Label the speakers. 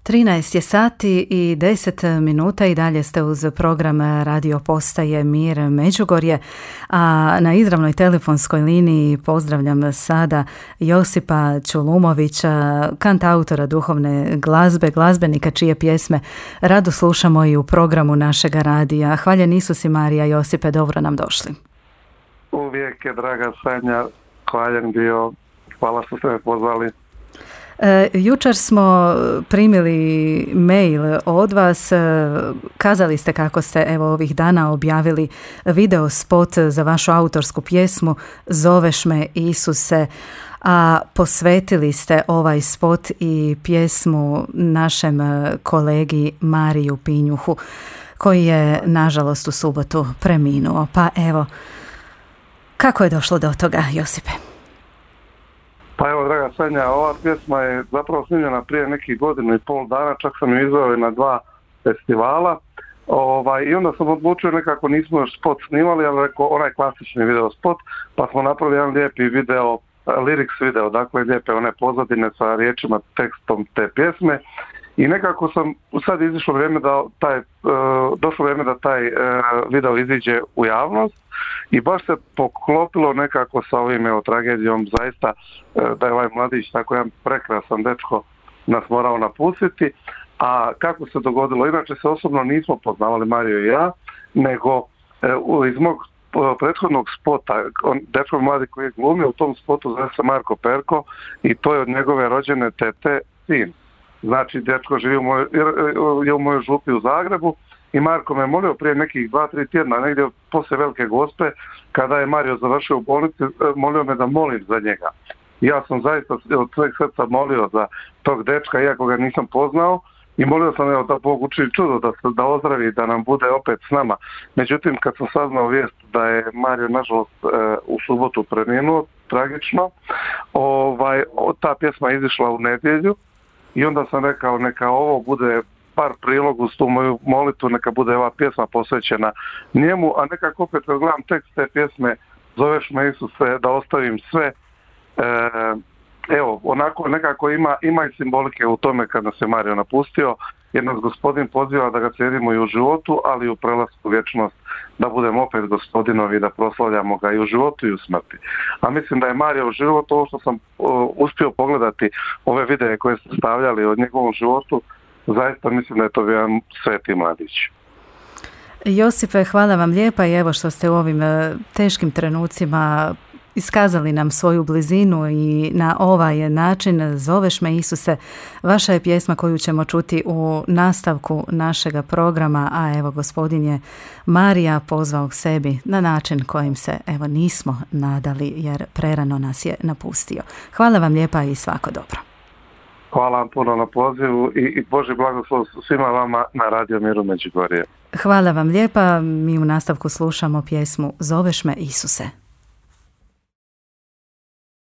Speaker 1: 13 je sati i 10 minuta i dalje ste uz program radio postaje Mir Međugorje, a na izravnoj telefonskoj liniji pozdravljam sada Josipa Čulumovića, kantautora duhovne glazbe, glazbenika čije pjesme rado slušamo i u programu našega radija. Hvaljen Isus i Marija. Josipe, dobro nam došli.
Speaker 2: Uvijek je, draga Sanja, hvaljen bio. Hvala što ste me pozvali.
Speaker 1: Jučer smo primili mail od vas, kazali ste kako ste evo ovih dana objavili video spot za vašu autorsku pjesmu Zoveš me Isuse, a posvetili ste ovaj spot i pjesmu našem kolegi Mariju Pinjuhu koji je nažalost u subotu preminuo. Pa evo, kako je došlo do toga, Josipe?
Speaker 2: Pa evo, draga Sanja, ova pjesma je zapravo snimljena prije nekih 1,5 dana, čak sam ju izveo na 2 festivala. I onda sam odlučio, nekako nismo još spot snimali, ali rekao onaj klasični video spot, pa smo napravili jedan lijepi video, lyrics video, dakle lijepe one pozadine sa riječima, tekstom te pjesme. I nekako sam sad došlo vrijeme da taj video iziđe u javnost i baš se poklopilo nekako sa ovim tragedijom, zaista da je ovaj mladić, tako jedan prekrasan dečko, nas morao napustiti. A kako se dogodilo? Inače se osobno nismo poznavali, Mario i ja, nego iz mog prethodnog spota, dečko mladi koji je glumio u tom spotu zove se Marko Perko i to je od njegove rođene tete sin. Znači, dečko živi u mojoj župi u Zagrebu i Marko me molio prije nekih 2-3 tjedna, negdje poslije Velike Gospe, kada je Mario završio u bolnici, molio me da molim za njega. Ja sam zaista od sveg srca molio za tog dečka, iako ga nisam poznao, i molio sam da Bog učini čudo, da ozdravi, da nam bude opet s nama. Međutim, kad sam saznao vijest da je Mario nažalost u subotu preminuo, tragično, ta pjesma je izišla u nedjelju. I onda sam rekao, neka ovo bude par prilog uz tu moju molitvu, neka bude ova pjesma posvećena njemu, a nekako opet kad gledam tekst te pjesme Zoveš me Isuse, da ostavim sve, evo, onako nekako ima i simbolike u tome kad nas je Mario napustio, jer nas Gospodin poziva da ga slijedimo i u životu, ali i u prelasku u vječnost, da budemo opet Gospodinovi, da proslavljamo ga i u životu i u smrti. A mislim da je Mario u životu, ovo što sam uspio pogledati, ove videe koje ste stavljali od njegovom životu, zaista mislim da je to bio jedan sveti mladić.
Speaker 1: Josipe, hvala vam lijepa i evo što ste u ovim teškim trenucima iskazali nam svoju blizinu i na ovaj način Zoveš me Isuse. Vaša je pjesma koju ćemo čuti u nastavku našega programa, a evo Gospodin je Marija pozvao k sebi na način kojim se evo nismo nadali jer prerano nas je napustio. Hvala vam lijepa i svako dobro.
Speaker 2: Hvala vam puno na pozivu i Božji blagoslov svima vama na Radio Miru Međugorje.
Speaker 1: Hvala vam lijepa, mi u nastavku slušamo pjesmu Zoveš me Isuse.